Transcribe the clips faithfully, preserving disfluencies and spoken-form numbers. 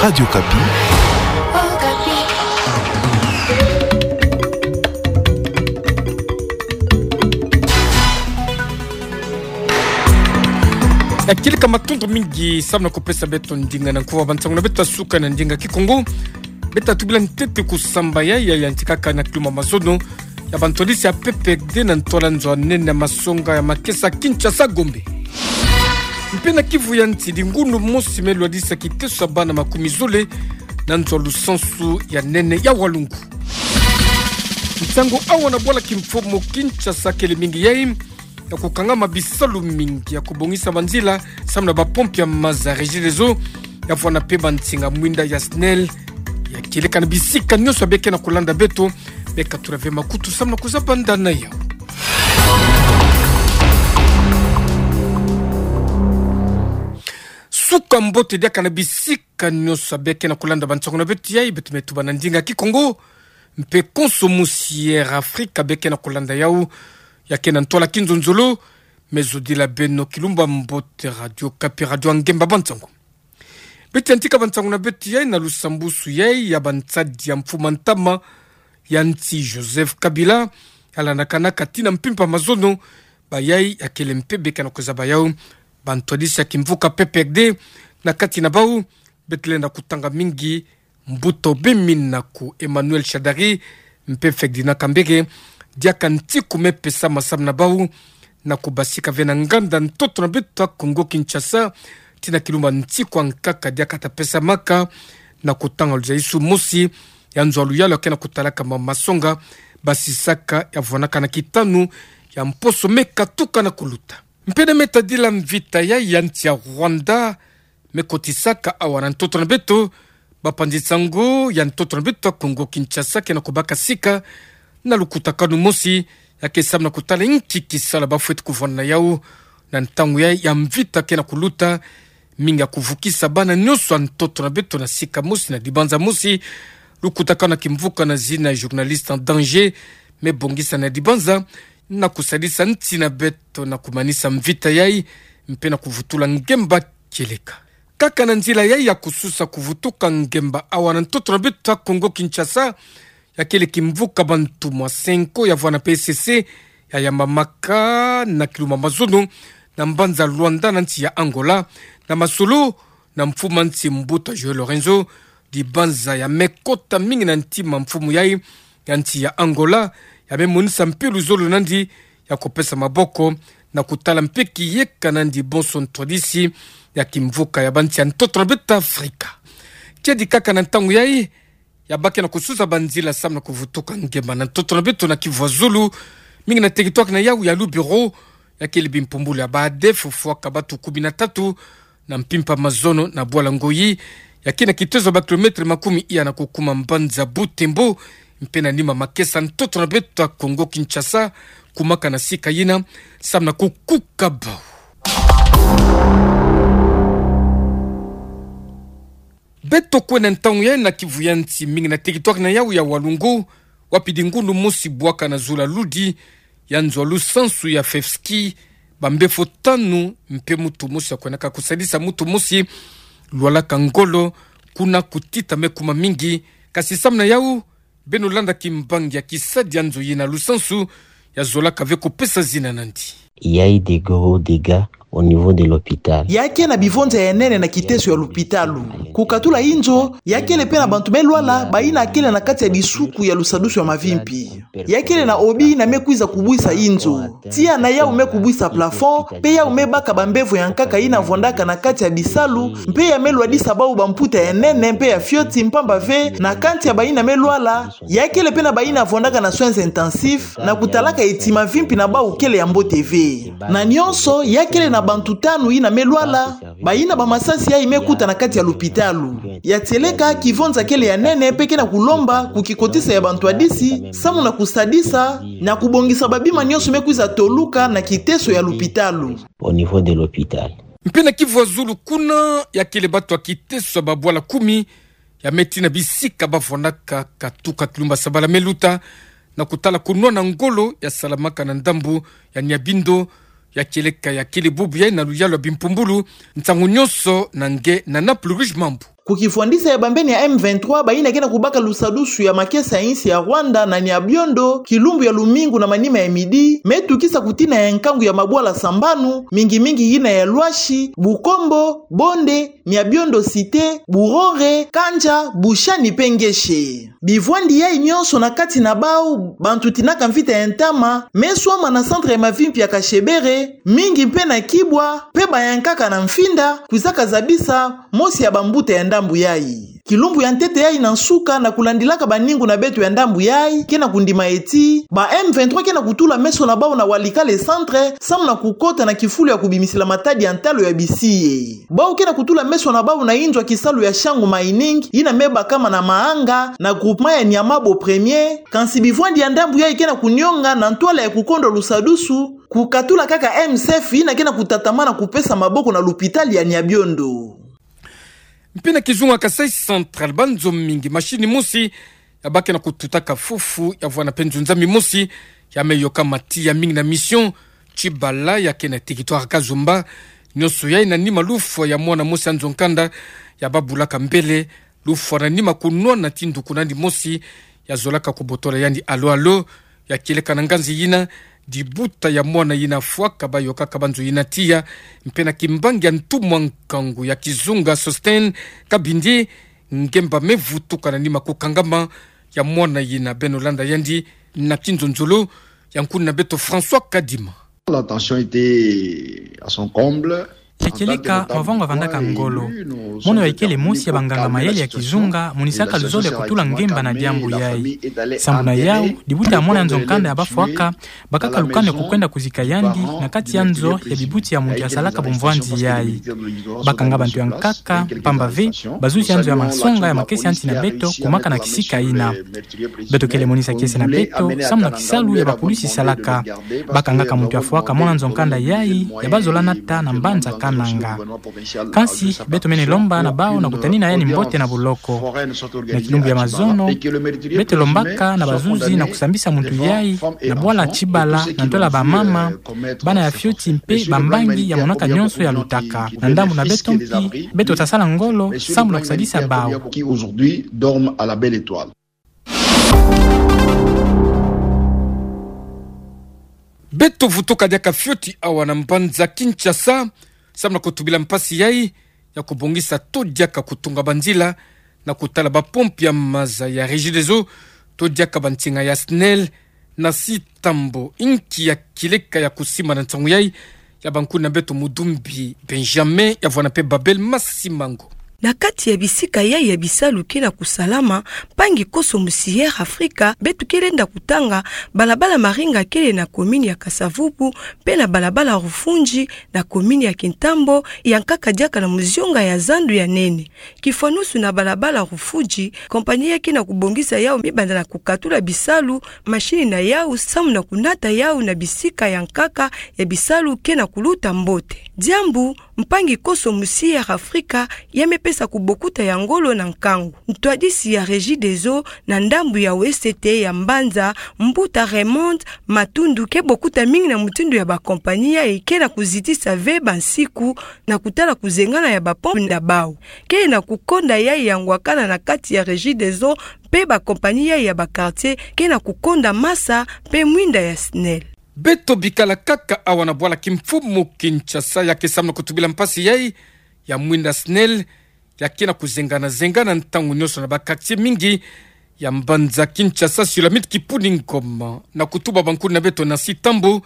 Radio Okapi. Ya kieleka, matondo mingi samu na kupesa beto ndinga na nkuwa bansango na beto ya suka na ndinga Kikongo. Beto tubila ntete kusamba ya, ya, ya ntikaka na kilumbu ya mazono ya bantwadisi ya P P R D na ntwala nzo ya nene ya masonga ya makesa Kinshasa Gombe. Mpe na Kivu ya nsi, di ngundu mosi me lwadisa kiteso ya bana makumi zole na nzo ya lusansu ya nene ya Walungu. Nsangu awa na bwala kimfumu. Kinshasa kele mingi yai ya kukangama bisalu mingi ya kubongisa banzila samu na bapompi ya maza Regideso, ya vwanda mpe bansinga mwinda ya SNEL. Ya kieleka na bisika nyonso ya beke na kulanda beto, beka tula ve makutu samu na kuzaba ndana yau. Suka mbote diaka na bisika nyonso ya beke na kulanda bansango na beto yai, beto me tuba na ndinga Kikongo. Mpe konso musi Air Afrique ya beke na kulanda yau, ya ke na ntwala kinzonzolo, me zodila beno kilumbu ya mbote. Radio Okapi, radio ya ngemba bansango. Beto yantika bansango na beto yai na lusambusu yai ya bansadi ya mfumu ya ntama ya nsi Joseph Kabila, ya landakanaka tii na mpimpa mazono. Bayai ya kele mpe beka na kuzaba yau bantwadisi ya kimvuka P P R D. Na kati na bau, beto lenda kutanga mingi mbuta Obemi Naku Emmanuel Shadary, mpe Ferdinand Kambere, diaka ntiku me pesama samu na bau na kubasika ve na nganda ntoto na beto ya Kongo Kinshasa, tii na kilumbu ya ntiku ya nkaka diaka ta pesamaka, na kutanga luzayisu mosi ya nzo ya luyalu ya ke na kutalaka ma masonga, basisaka ya vwanaka na kitanu ya mposo me katuka na kuluta. Mpe na me tadila mvita yai ya nsi ya Rwanda me kotisaka awa na ntoto na beto, bapanzi-nsangu ya ntoto na beto ya Kongo Kinshasa ke na kubaka sika na lukutakanu mosi, ya ke samu na kutala inki kisala bafweti kuvwanda na yau na ntangu ya, ya mvita ke na kuluta, mingi ya kuvukisa bana nyonso ya ntoto na beto na sika mosi, na dibanza mosi. Lukutakanu ya kimvuka na zina Journalistes en danger me bongisa na dibanza na kusadisa nsi na beto na kumanisa mvita yai, mpe na kuvutula ngemba kieleka. Kaka na nzila yai ya kususa kuvutuka ngemba awa na ntoto na beto ya Kongo Kinshasa, ya kele kimvuka bantumwa Cenco ya vwanda P S C, ya yambamaka na kilumbu ya mazono na mbanza Luanda na nsi ya Angola, na masolo na mfumu ya nsi mbuta João Lourenço. Dibanza ya me kota mingi na ntima mfumu yai ya nsi ya Angola, ya me monisa mpe luzolo na yandi ya kupesa maboko na kutala mpe kiyeka na yandi bonso ntwadisi ya kimvuka ya bansi ya ntoto na beto Afrika. Kiadi kaka na ntangu yai, ya bake na kususa banzila samu na kuvutuka ngemba na ntoto na beto na Kivu ya Zulu, mingi na territoire na yau ya Lubero, ya kele bimpumbulu ya ba ADF, fufwaka batu kumi na tatu na mpimpa mazono na bwala Ngoyi, ya ke na kitezo ba kilomètre makumi iya na kukuma mbanza Butembo, mpe na nima makesa ntoto na beto ya Kongo Kinshasa, kumaka na sika yina samu na kukuka bau. Beto kwenda ntangu yai na Kivu ya nsi, mingi na territoire na yau ya Walungu, wapi di ngundu mosi bwaka na zulu ya ludi ya nzo ya lusansu ya FEFSKI, bambefo tanu mpe mutu mosi ya kwendaka kusadisa mutu mosi lwalaka ngolo, kuna kutita me kuma mingi. Kasi samu na yau, beno landa kimbangi ya kisadi ya nzo yina lusansu, ya zolaka ve kupesa zina na yandi. Il y a eu des gros dégâts au niveau de l'hôpital. Ya ke na bivonza ya nene na kiteso ya lupitalu. Kukatula inzo, ya kele mpe na bantu me lwala, bayina kele na kati ya disuku ya lusadusu ya mavimpi. Ya kele na obi yina me kwiza kubwisa inzo. Tiya na yau me kubwisa plafond, mpe yau me baka bambevo ya nkaka yina vwandaka na kati ya bisalu, mpe ya me lwadisa bau bamputa ya nene mpe ya fioti, mpamba ve, na kati ya bayina me lwala, ya kele mpe na bayina vwandaka na soins intensifs, na kutalaka eti mavimpi na bau kele ya mbote ve. Na nyonso, ya kele na bantu tanu yina me lwala, bayina bamasasi yayi me kuta na kati ya lupitalu. Ya tieleka, kivonza kele ya nene mpe ke na kulomba ku kikotisa ya bantwadisi, samu na kusadisa, na kubongisa babima nyonso me kwiza toluka na kiteso ya lupitalu. Au niveau de l'hôpital. Mpe na Kivu ya Zulu kuna, ya kele batu ya kiteso ya babwala kumi, ya me tii na bisika bavwandaka katuka kilumbu ya sabala me luta, na kutala kunwana ngolo ya salamaka na ndambu ya Nyabindu, ya kieleka ya kele bubu yayi na luyalu ya bimpumbulu, nsangu nyonso na nge na Naples Rouge Mambu. Ku kifwandisa ya bambeni ya M vingt-trois, bayina ke na kubaka lusadusu ya makesa ya insi ya Rwanda na Nyabiondo, kilumbu ya lumingu na manima ya midi, me tukisa kutina ya nkangu ya mabwala sambanu, mingi mingi yina ya Lwashi, Bukombo, Bonde, Nyabiondo Cité, Burore, Kandja, Bushani pe Ngeshe. Bivwandi yayi nyonso na kati na bau, bantu tinaka mvita ya ntama, me swama na centre ya mavimpi ya Kashebere, mingi mpe na Kibwa, mpe bayankaka na Mfinda, kwizaka zabisa mosi ya bambuta ya ndambu yayi. Kilumbu ya ntete yayi na nsuka na kulandilaka baningu na beto ya ndambu yayi, ke na kundima eti, ba M vingt-trois ke na kutula meso na bau na Walikale centre, samu na kukota na kifulu ya kubimisila matadi ya ntalo ya bisi ye. Bau ke na kutula meso na bau na inzo ya kisalu ya Shangu Mining, yina me bakama na Maanga, na groupement ya Nyamabo Premier, kansi bivwandi ya ndambu yayi ke na kunionga na ntwala ya kukondo lusadusu, kukatula kaka M S F yina ke na kutatamana kupesa maboko na lupitali ya Nyabiondo. Mpe na kizunga Kasaï Central, banzo mingi, machine mosi ya ba ke na kututaka fufu, ya vwanda mpe nzunza mimosi ya me yokama tiya, mingi na Mission Tshibala ya ke na territoire Kazomba. Nyonso yayi na nima lufwa ya mwana mosi ya nzo-nkanda ya ba bulaka mbele, lufwa na nima kunwana ti nduku na yandi mosi ya zolaka kubotola yandi alo-alo, ya kieleka na nganzi yina dibuta ya mwana yina fwaka ba yokaka banzo yina tiya, mpe na kimbangi ya ntumwa nkangu ya kizunga Sosthène Kabindi, ngemba me vutuka na nima kukangama ya mwana yina. Beno landa yandi na kinzonzolo ya nkuna beto François Kadima. La tension était à son comble. Ya kieleka, mavanga vandaka ngolo. Mono ya ikele mosi ya banganga-mayele ya kizunga monisaka luzolo ya kutula ngemba na diambu yayi. Sambu na yau, dibuta ya mwana ya nzo-nkanda ya ba fwaka, bakaka lukanu ya kukwenda kuzika yandi na kati ya nzo ya bibuti ya muntu ya salaka bumvwanzi yayi. Bakanga bantu ya nkaka, mpamba ve bazuzi ya nzo ya mansonga ya makesi ya nsi na beto kumaka na kisika yina. Beto kele monisa kiese na beto samu na kisalu ya bapulusi salaka. Bakangaka muntu ya fwaka mwana nzo-nkanda yayi ya ba zola nata na mbanza Kananga. Kansi beto mene lomba na bau na kutanina yandi mbote na buloko. Na kilumbu ya mazono, beto lombaka na bazuzi na kusambisa muntu yayi na bwala Tshibala na ntwala bamama, bana ya fioti mpe bambangi ya monaka nyonso ya lutaka. Na ndambu na beto mpi, beto ta sala ngolo samu na kusadisa bau. Beto vutuka diaka fioti awa na mbanza Kinshasa, samu na kutubila mpasi yayi ya kubongisa to diaka kutunga banzila na kutala bapompi ya maza ya Regideso, to diaka bansinga ya SNEL, na Nasi Tambo. Inki ya kieleka ya kusimba na nsangu yayi? Ya bâ nkuna beto Mudumbi Benjamin, ya vwanda mpe Babel Masimango. Na kati ya bisika yayi ya bisalu ke na kusalama, mpangi Koso Musier Afrika, beto ke lenda kutanga balabala Maringa kele na commune ya Kasa-Vubu, mpe na balabala Rufudzi na commune ya Kintambo, ya nkaka diaka na muzionga ya zandu ya nene. Kifwanusu na balabala Rufudzi, compagnie yayi ke na kubongisa yau me banda na kukatula bisalu, machine na yau samu na kunata yau na bisika ya nkaka ya bisalu ke na kuluta mbote. Diambu mpangi Koso Musier Afrika ya me pesa kubokuta ya ngolo na nkangu. Ntwadisi ya Regideso na ndambu ya Ouest ya mbanza, mbuta Raymond Matundu, ke bokuta mingi na mutindu ya bacompagnie yayi ke na kuzitisa ve bansiku na kutala kuzengana ya bapompe na bau. Ke na kukonda yayi ya ngwakana na kati ya Regideso mpe bacompagnie yayi ya baquartier ke na kukonda masa mpe mwinda ya SNEL. Beto bikala kaka awa na bwala kimfumu Kinshasa, ya ke samu na kutubila mpasi yayi ya mwinda SNEL ya ke na kuzengana-zengana ntangu nyonso na baquartier mingi ya mbanza Kinshasa, Sulamite Kipuni Ngoma, na kutuba bâ nkuna beto Nasi Tambo,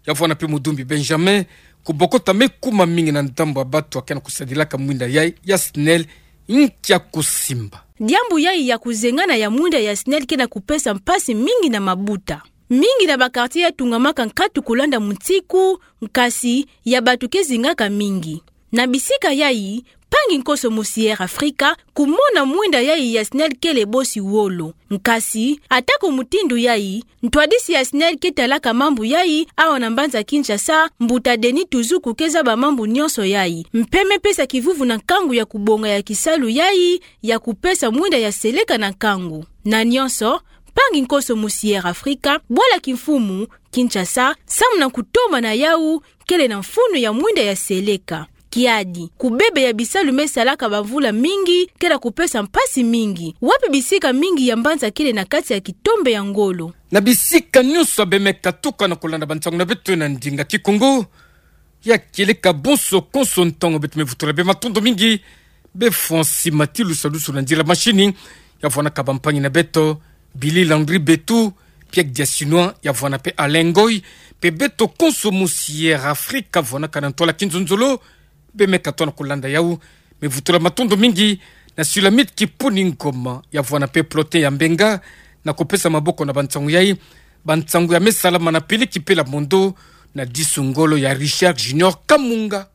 ya vwanda mpe Mudumbi Benjamin, kubokota me kuma mingi na ndambu ya bato ya ke na kusadilaka mwinda yayi ya SNEL. Inki ya kusimba? Diambu yayi ya kuzengana ya mwinda ya SNEL ke na kupesa mpasi mingi na mabuta. Mingi na baquartier ya tungamaka nkatu kulanda munsiku, nkasi ya bato ke zingaka mingi. Na bisika yayi, mpangi Koso Musier Afrika kumona mwinda yayi ya SNEL kele bosi wolo. Nkasi, atako mutindu yayi, ntwadisi ya SNEL ke talaka mambu yayi awa na mbanza Kinshasa, mbuta Denis Tuzuku, ke zaba mambu nyonso yayi. Mpe me pesa kivuvu na nkangu ya kubonga ya kisalu yayi ya kupesa mwinda ya seleka na nkangu. Na nyonso, mpangi Koso Musier Afrika, bwala kimfumu Kinshasa, samu na kutomana yau kele na mfunu ya mwinda ya seleka. Yadi, kubebe ya bisalu me salaka bamvula mingi kele ya kupesa mpasi mingi. Wapi bisika mingi ya mbanza kele na kati ya kitombe ya ngolo? Na bisika nyonso abe me katuka na kulanda bansangu na beto na ndinga Kikongo, ya kieleka bonso konso ntangu beto me vutula bê matondo mingi. Bê Francis Matilusa, lusu na nzila machine, ya vwanaka bampangi na beto, Billy Landry Betu, Pierre Diasinois, ya vwana pe Alain Ngoy, pe beto konso mu Sierra Africa, vwanaka na ntwala kinzonzolo, bê me katoa na kulanda yau, me vutula matondo mingi na Sulamite Kipuni Ngoma, ya vwana pe Plotin ya Mbenga, na kupesa maboko na bansangu yai, bansangu ya me salama na Peleki Pela Mondo, na disu ngolo ya Richard Junior Kamunga.